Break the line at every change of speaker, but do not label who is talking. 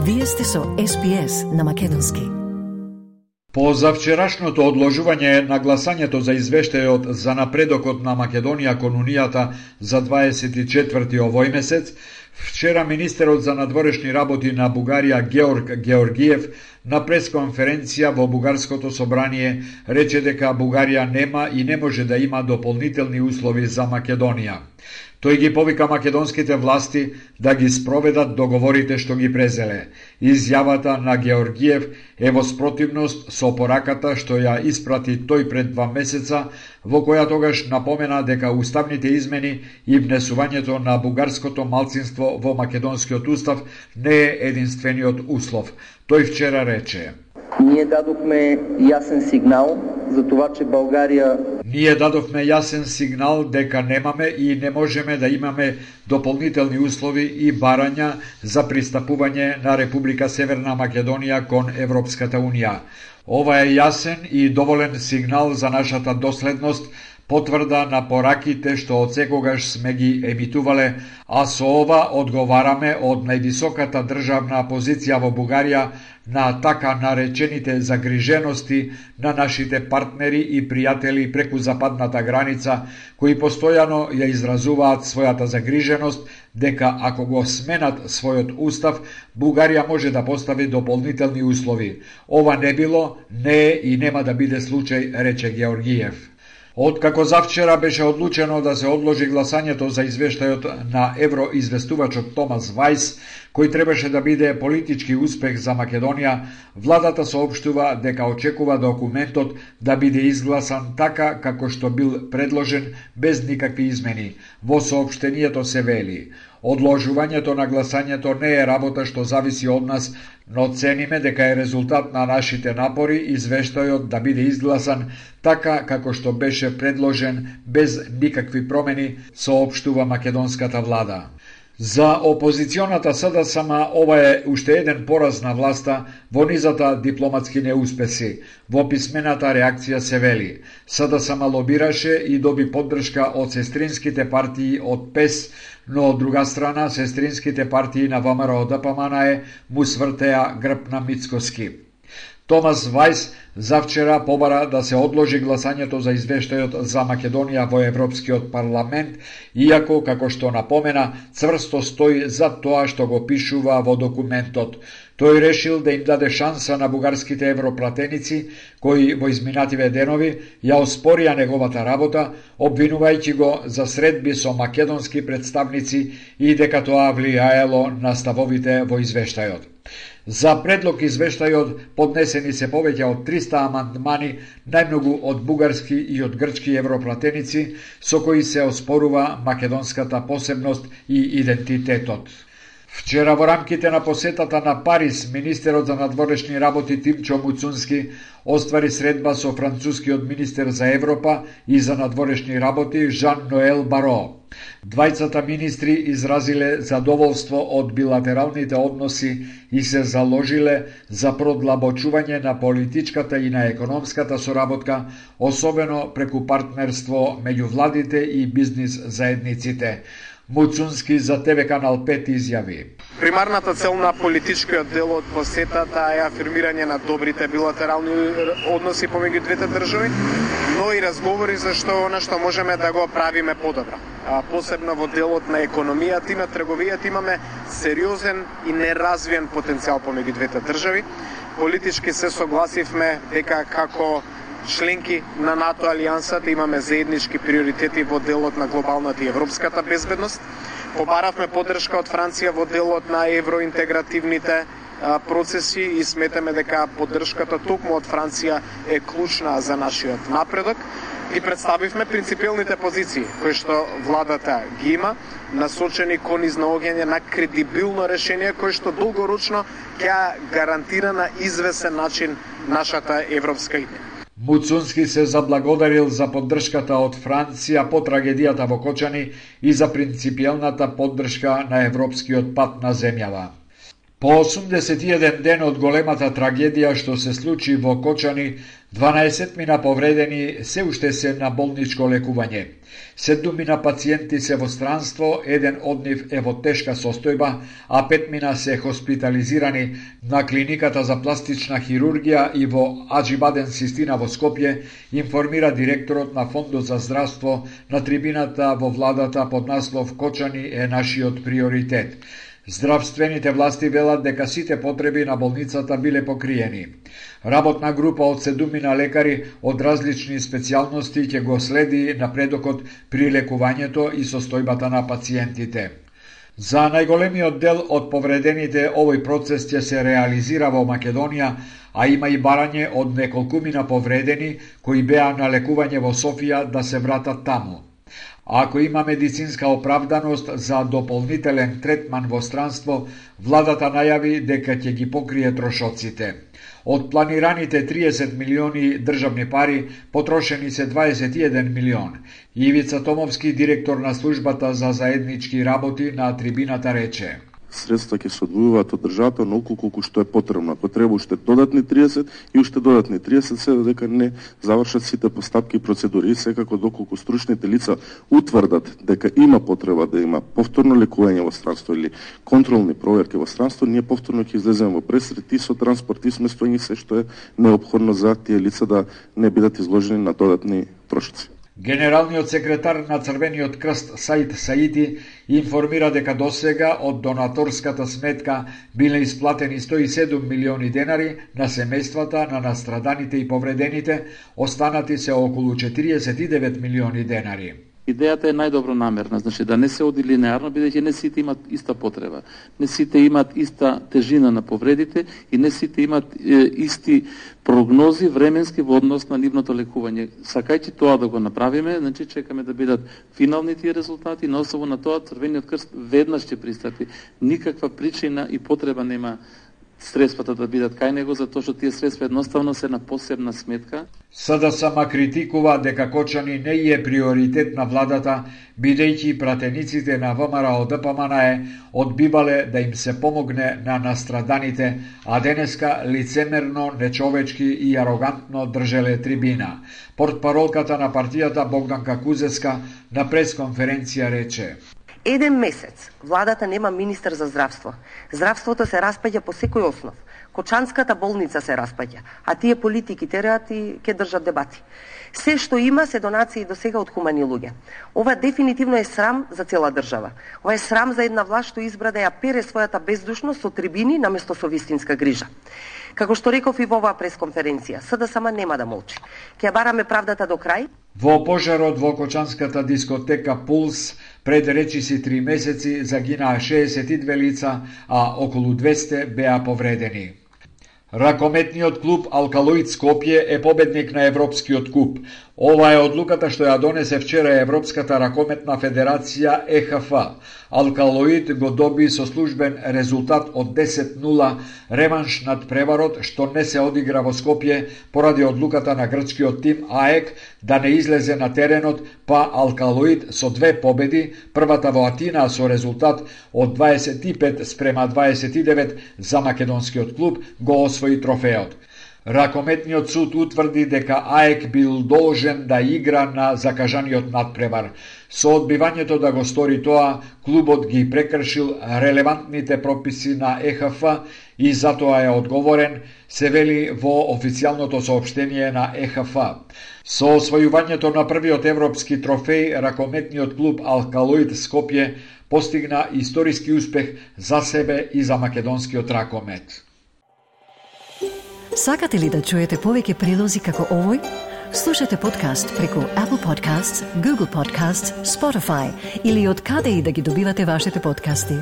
Вие сте со SPS на македонски.
По завчерашното одложување на гласањето за извештајот за напредокот на Македонија кон Унијата за 24 овој месец, вчера министерот за надворешни работи на Бугарија Георг Георгиев на пресконференција во Бугарското собрание рече дека Бугарија нема и не може да има дополнителни услови за Македонија. Тој ги повика македонските власти да ги спроведат договорите што ги презеле. Изјавата на Георгиев е во спротивност со пораката што ја испрати тој пред 2 месеца, во која тогаш напомена дека уставните измени и внесувањето на бугарското малцинство во македонскиот устав не е единствениот услов. Тој вчера рече:
Ние дадохме јасен сигнал за това, че Българија...
Ние дадовме јасен сигнал дека немаме и не можеме да имаме дополнителни услови и барања за пристапување на Република Северна Македонија кон Европската Унија. Ова е јасен и доволен сигнал за нашата доследност, потврда на пораките што од секогаш сме ги емитувале, а со ова одговараме од највисоката државна позиција во Бугарија на така наречените загрижености на нашите партнери и пријатели преку западната граница, кои постојано ја изразуваат својата загриженост дека ако го сменат својот устав, Бугарија може да постави дополнителни услови. Ова не било, не е и нема да биде случај, рече Георгиев. Откако завчера беше одлучено да се одложи гласањето за извештајот на евроизвестувачот Томас Вајс, кој требаше да биде политички успех за Македонија, владата соопштува дека очекува документот да биде изгласан така како што бил предложен без никакви измени. Во соопштението се вели: Одложувањето на гласањето не е работа што зависи од нас, но цениме дека е резултат на нашите напори извештајот да биде изгласан така како што беше предложен без никакви промени, соопштува македонската влада. За опозиционата СДСМ ова е уште еден пораз на власта во низата дипломатски неуспеси. Во писмената реакција се вели: СДСМ лобираше и доби поддршка од сестринските партии од ПЕС, но од друга страна сестринските партии на ВМРО-ДПМНЕ му свртеа грб на Мицкоски. Томас Вајс завчера побара да се одложи гласањето за извештајот за Македонија во Европскиот парламент, иако, како што напомена, цврсто стои за тоа што го пишува во документот. Тој решил да им даде шанса на бугарските европратеници, кои во изминативе денови ја оспорија неговата работа, обвинувајќи го за средби со македонски представници и дека тоа влијаело на ставовите во извештајот. За предлог извештајот поднесени се повеќе од 300 амандмани, најмногу од бугарски и од грчки европратеници, со кои се оспорува македонската посебност и идентитетот. Вчера во рамките на посетата на Париз, министерот за надворешни работи Тимчо Муцунски оствари средба со францускиот министер за Европа и за надворешни работи Жан-Ноел Баро. Двајцата министри изразиле задоволство од билатералните односи и се заложиле за продлабочување на политичката и на економската соработка, особено преку партнерство меѓу владите и бизнис заедниците. Муцунски за ТВ Канал 5 изјави:
Примарната цел на политичкиот дел од посетата е афирмирање на добрите билатерални односи помеѓу двете држави, но и разговори за она што можеме да го правиме подобро. Посебно во делот на економијата и на трговијата имаме сериозен и неразвиен потенцијал помеѓу двете држави. Политички се согласивме дека како членки на НАТО алијансата имаме заеднички приоритети во делот на глобалната и европската безбедност. Побаравме поддршка од Франција во делот на евроинтегративните процеси и сметаме дека поддршката токму од Франција е клучна за нашиот напредок. И представивме принципиалните позиции кои што владата ги има, насочени кон изнаоѓање на кредибилно решение кој што долгорочно ќе гарантира на извесен начин нашата европска идеја.
Муцунски се заблагодарил за поддршката од Франција по трагедијата во Кочани и за принципијалната поддршка на европскиот пат на земјава. По 81 ден од големата трагедија што се случи во Кочани, 12 мина повредени се уште се на болничко лекување. 7 мина пациенти се во странство, еден од нив е во тешка состојба, а 5 мина се хоспитализирани на клиниката за пластична хирургија и во Аџибаден Систина во Скопје, информира директорот на Фондот за здравство на трибината во владата под наслов "Кочани е нашиот приоритет". Здравствените власти велат дека сите потреби на болницата биле покриени. Работна група од 7 лекари од различни специјалности ќе го следи напредокот при лекувањето и состојбата на пациентите. За најголемиот дел од повредените овој процес ќе се реализира во Македонија, а има и барање од неколкумина повредени кои беа на лекување во Софија да се вратат таму. Ако има медицинска оправданост за дополнителен третман во странство, владата најави дека ќе ги покрие трошоците. Од планираните 30 милиони државни пари, потрошени се 21 милион. Ивица Томовски, директор на службата за заеднички работи, на трибината рече:
средства ќе се одвојуваат од државата онолку колку што е потребно. Ако треба уште додатни 30 и уште додатни 30, се додека не завршат сите постапки и процедури. И секако доколку стручните лица утврдат дека има потреба да има повторно лекување во странство или контролни проверки во странство, ние повторно ќе излеземе во пресрет и со транспорт и сместување, се што е неопходно за тие лица да не бидат изложени на додатни трошоци.
Генералниот секретар на Црвениот крст Саид Саити информира дека досега од донаторската сметка биле исплатени 107 милиони денари на семејствата на настраданите и повредените, останати се околу 49 милиони денари.
Идејата е најдобронамерна, значи да не се оди линеарно, бидејќи не сите имат иста потреба, не сите имат иста тежина на повредите и не сите имат исти прогнози временски во однос на нивното лекување. Сакајќи тоа да го направиме, значи чекаме да бидат финални тие резултати, на основа на тоа Црвениот крст веднаш ќе пристапи. Никаква причина и потреба нема средствата да бидат кај него, затоа што тие средства едноставно се на посебна сметка.
СДСМ критикува дека Кочани не е приоритет на владата, бидејќи пратениците на ВМРО ДПМН одбивале да им се помогне на настраданите, а денеска лицемерно, нечовечки и арогантно држеле трибина. Портпаролката на партијата Богданка Кузеска на пресконференција рече:
Еден месец владата нема министер за здравство. Здравството се распаѓа по секој основ. Кочанската болница се распаѓа, а тие политики тераат и ќе држат дебати. Се што има се донации до сега од хумани луѓе. Ова дефинитивно е срам за цела држава. Ова е срам за една власт што избра да ја пере својата бездушност со трибини наместо со вистинска грижа. Како што реков и во оваа пресконференција, СДСМ нема да молчи. Ќе бараме правдата до крај.
Во пожарот во кочанската дискотека Пулс пред речиси 3 месеци загинаа 62 лица, а околу 200 беа повредени. Ракометниот клуб Алкалоид Скопје е победник на Европскиот куп. Ова е одлуката што ја донесе вчера Европската ракометна федерација ЕХФ. Алкалоид го доби со службен резултат од 10-0 реванш над преварот што не се одигра во Скопје поради одлуката на грчкиот тим АЕК да не излезе на теренот, па Алкалоид со 2 победи, првата во Атина со резултат од 25-29 за македонскиот клуб, го освои трофеот. Ракометниот суд утврди дека АЕК бил должен да игра на закажаниот надпревар. Со одбивањето да го стори тоа, клубот ги прекршил релевантните прописи на ЕХФ и затоа е одговорен, се вели во официјалното соопштение на ЕХФ. Со освојувањето на првиот европски трофеј, ракометниот клуб Алкалоид Скопје постигна историски успех за себе и за македонскиот ракомет.
Сакате ли да чуете повеќе прилози како овој? Слушате подкаст преку Apple Podcasts, Google Podcasts, Spotify или од каде и да ги добивате вашите подкасти.